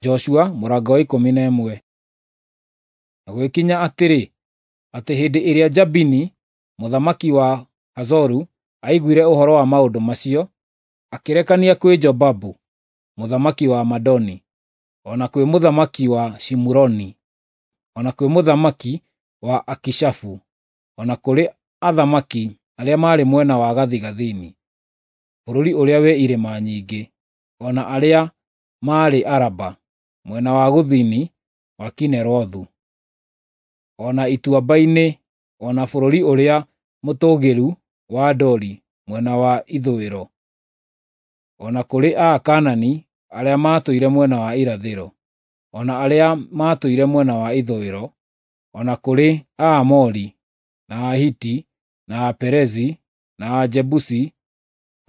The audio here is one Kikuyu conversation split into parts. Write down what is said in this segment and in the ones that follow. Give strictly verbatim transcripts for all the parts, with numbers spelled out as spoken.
Joshua mũrango wa ikũmi na ĩmwe. Na gũgĩkinya atĩrĩ, atĩ hĩndĩ ĩrĩa Jabini mũthamaki wa Hazoru aiguire ũhoro wa maũndũ macio, akĩrekania kwĩ Jobabu mũthamaki wa Madoni, o na kwĩ mũthamaki wa Shimuroni, o na kwĩ mũthamaki wa Akishafu, o na kũrĩ athamaki arĩa maarĩ mwena wa gathigathini, bũrũri ũrĩa wĩ irĩma nyingĩ, o na arĩa maarĩ Araba, mwena wa gũthini wa Kinerothu, o na ituamba-inĩ, o na bũrũri ũrĩa mũtũũgĩru wa Dori mwena wa ithũĩro, o na kũrĩ Akaanani arĩa maatũire mwena wa irathĩro, o na arĩa maatũire mwena wa ithũĩro, o na kũrĩ Aamori, na Ahiti, na Aperezi, na Ajebusi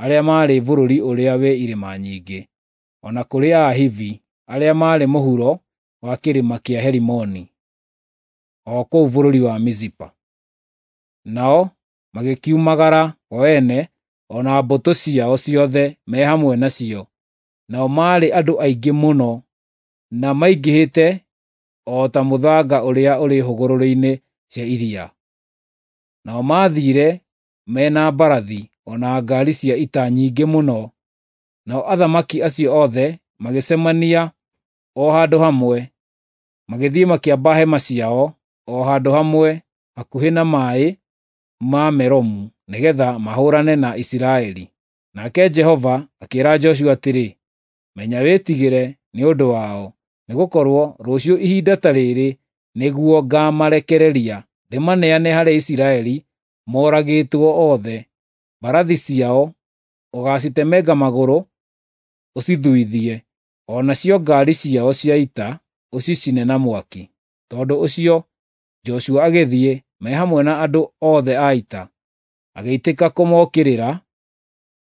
arĩa maarĩ bũrũri ũrĩa wĩ irĩma nyingĩ, o na kũrĩ Ahivi arĩa maarĩ mũhuro wa kĩrĩma kĩa Herimoni, o kũu bũrũri wa Mizipa. Nao magĩkiumagara o ene o na mbũtũ ciao ciothe me hamwe nacio, nao maarĩ andũ aingĩ mũno, na maingĩhĩte o ta mũthanga ũrĩa ũrĩ hũgũrũrũ-inĩ cia iria. Nao maathiire me na mbarathi o na ngaari cia ita nyingĩ mũno. Nao athamaki acio othe magĩcemania o handũ hamwe, magĩthiĩ makĩamba hema ciao o handũ hamwe hakuhĩ na maaĩ ma Meromu nĩgeetha mahũũrane na Isiraeli. Nake Jehova akĩĩra Joshua atĩrĩ, “Menya wĩtigĩre nĩ ũndũ wao, nĩgũkorwo rũciũ ihinda ta rĩrĩ nĩguo ngaamarekereria ndĩmaneane harĩ Isiraeli moragĩtwo othe. Mbarathi ciao ũgaacitemenga magũrũ ũcithuithie, o nacio ngaari ciao cia ita ũcicine na mwaki.” Tondũ ũcio Joshua agĩthiĩ me hamwe na andũ othe a ita, agĩitĩka kũmookĩrĩra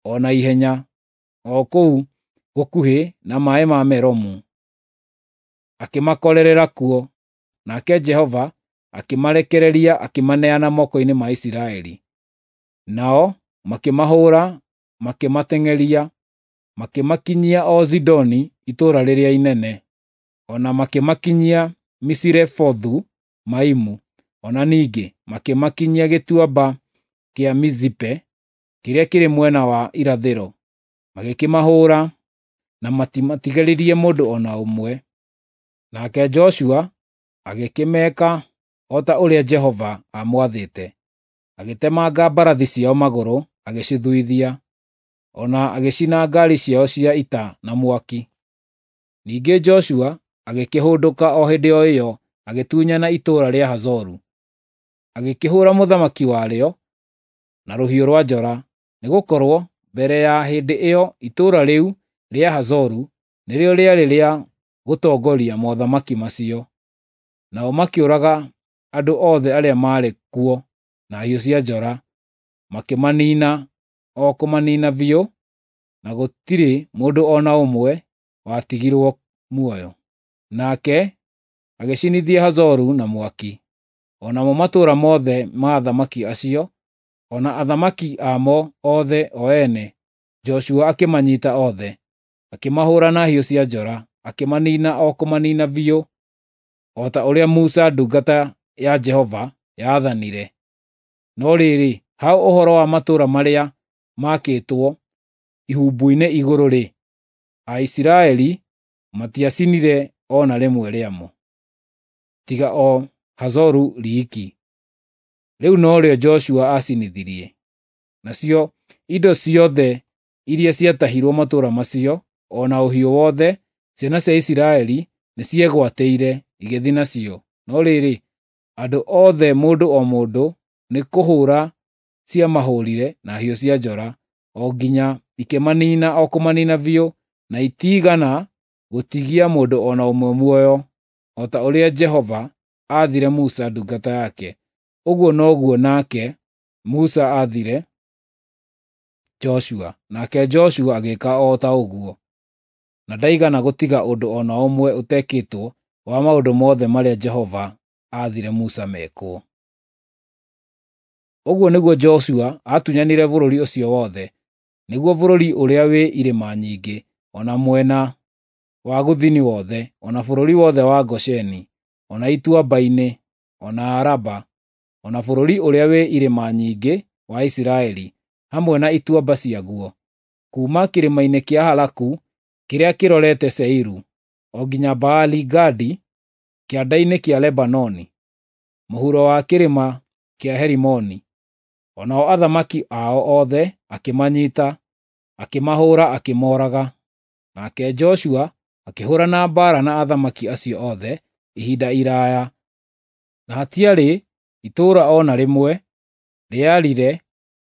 o na ihenya o kũu gũkuhĩ na maaĩ ma Meromu, akĩmakorerera kuo. Nake Jehova akĩmarekereria akĩmaneana moko-inĩ ma Isiraeli. Nao makĩmahũũra, makĩmateng'eria, makĩmakinyia o Zidoni itũũra rĩrĩa inene, o na makĩmakinyia Misirefothu-Maimu, o na ningĩ makĩmakinyia gĩtuamba kĩa Mizipe kĩrĩa kĩrĩ mwena wa irathĩro. Magĩkĩmahũũra na matimatigaririe mũndũ o na ũmwe. Nake Joshua agĩkĩmeeka o ta ũrĩa Jehova aamwathĩte, agĩtemanga mbarathi ciao magũrũ agĩcithuithia, o na agĩcina ngaari ciao cia ita na mwaki. Ningĩ Joshua agĩkĩhũndũka o hĩndĩ o ĩyo agĩtunyana itũũra rĩa Hazoru. Agĩkĩhũũra mũthamaki warĩo na rũhiũ rwa njora, nĩgũkorwo mbere ya hĩndĩ ĩyo itũũra rĩu rĩa Hazoru nĩrĩo rĩarĩ rĩa gũtongoria mothamaki macio. Nao makĩũraga andũ othe arĩa maarĩ kuo na hiũ cia njora, makĩmaniina o kũmaniina biũ, na gũtirĩ mũndũ o na ũmwe watigirwo muoyo. Nake agĩcinithia Hazoru na mwaki, o namo matũũra mothe ma athamaki acio, o na athamaki amo othe o ene, Joshua akĩmanyiita othe, akĩmahũũra na hiũ cia njora, akĩmaniina o kũmaniina biũ, o ta ũrĩa Musa ndungata ya Jehova yaathanire. No rĩrĩ, ha ũhoro wa matũũra marĩa maakĩtwo ihumbu-inĩ igũrũ-rĩ, Aisiraeli matiacinire o na rĩmwe rĩamo, tiga o Hazoru riiki. Rĩu norĩo Joshua aacinithirie. Nacio indo ciothe iria ciatahirwo matũũra macio, o na ũhiũ wothe, ciana cia Isiraeli nĩciegwatĩire igĩthiĩ nacio. No rĩrĩ, andũ othe mũndũ o mũndũ nĩ kũhũũra ciamahũũrire na hiũ cia njora, o nginya ikĩmaniina o kũmaniina biũ, na itiigana gũtigia mũndũ o na ũmwe muoyo, o ta ũrĩa Jehova aathire Musa ndungata yake, ũguo noguo nake Musa aathire Joshua, nake Joshua agĩĩka o ta ũguo. Na ndaigana gũtiga ũndũ o na ũmwe ũtekĩtwo wa maũndũ mothe marĩa Jehova aathire Musa mekwo. Ũguo nĩguo Joshua aatunyanire bũrũri ũcio wothe, nĩguo bũrũri ũrĩa wĩ irĩma nyingĩ, o na mwena wa gũthini wothe, o na bũrũri wothe wa Gosheni, o na ituamba-inĩ, o na Araba, o na bũrũri ũrĩa wĩ irĩma nyingĩ wa Isiraeli, hamwe na ituamba ciaguo, kuuma kĩrĩma-inĩ kĩa Halaku kĩrĩa kĩrorete Seiru, o nginya Baali-Gadi kĩanda-inĩ kĩa Lebanoni, mũhuro wa kĩrĩma kĩa Herimoni. O nao athamaki ao othe akĩmanyiita, akĩmahũũra akĩmooraga. Nake Joshua akĩhũũrana mbaara na athamaki acio othe ihinda iraaya, na hatiarĩ itũũra o na rĩmwe rĩarire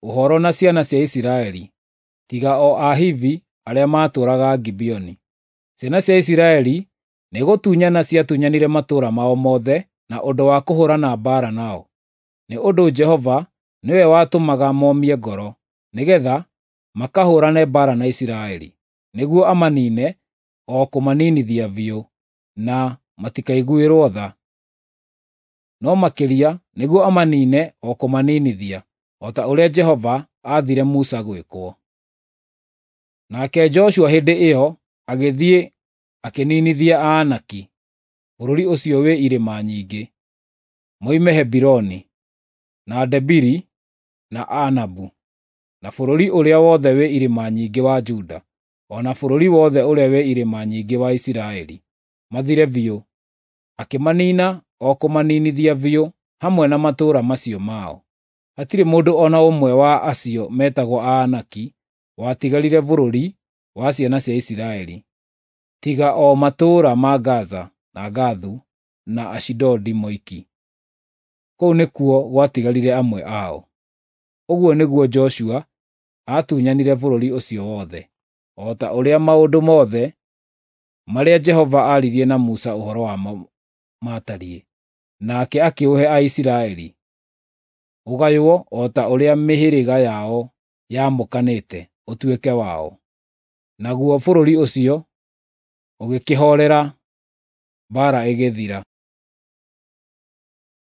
ũhoro na ciana cia Isiraeli, tiga o Ahivi arĩa maatũũraga Gibeoni. Ciana cia Isiraeli nĩgũtunyana ciatunyanire matũũra mao mothe na ũndũ wa kũhũũrana mbaara nao, nĩ ũndũ Jehova nĩwe watũmaga momie ngoro, nĩgeetha makahũũrane mbaara na Isiraeli, nĩguo amaniine o kũmaninithia biũ, na matikaiguĩrwo tha. No makĩria nĩguo amaniine o kũmaninithia, o ta ũrĩa Jehova aathire Musa gwĩkwo. Nake Joshua hĩndĩ ĩyo agĩthiĩ akĩninithia Aanaki bũrũri ũcio wĩ irĩma nyingĩ, moime Hebironi, na Debiri, na Anabu, na bũrũri ũrĩa wothe wĩ irĩma nyingĩ wa Juda, o na bũrũri wothe ũrĩa wĩ irĩma nyingĩ wa Isiraeli, mathire biũ. Akĩmaniina o kũmaninithia biũ hamwe na matũũra macio mao. Hatirĩ mũndũ o na ũmwe wa acio metagwo Aanaki watigarire bũrũri wa ciana cia Isiraeli, tiga o matũũra ma Gaza na Gathu na Ashidodi moiki. Kũu nĩkuo gwatigarire amwe ao. Ũguo nĩguo Joshua aatunyanire bũrũri ũcio wothe, o ta ũrĩa maũndũ mothe marĩa Jehova aaririe na Musa ũhoro wamo maatariĩ, nake akĩũhe Aisiraeli, ũgaywo o ta ũrĩa mĩhĩrĩga yao yaamũkanĩte ũtuĩke wao. Naguo bũrũri ũcio ũgĩkĩhoorera, mbaara ĩgĩthira.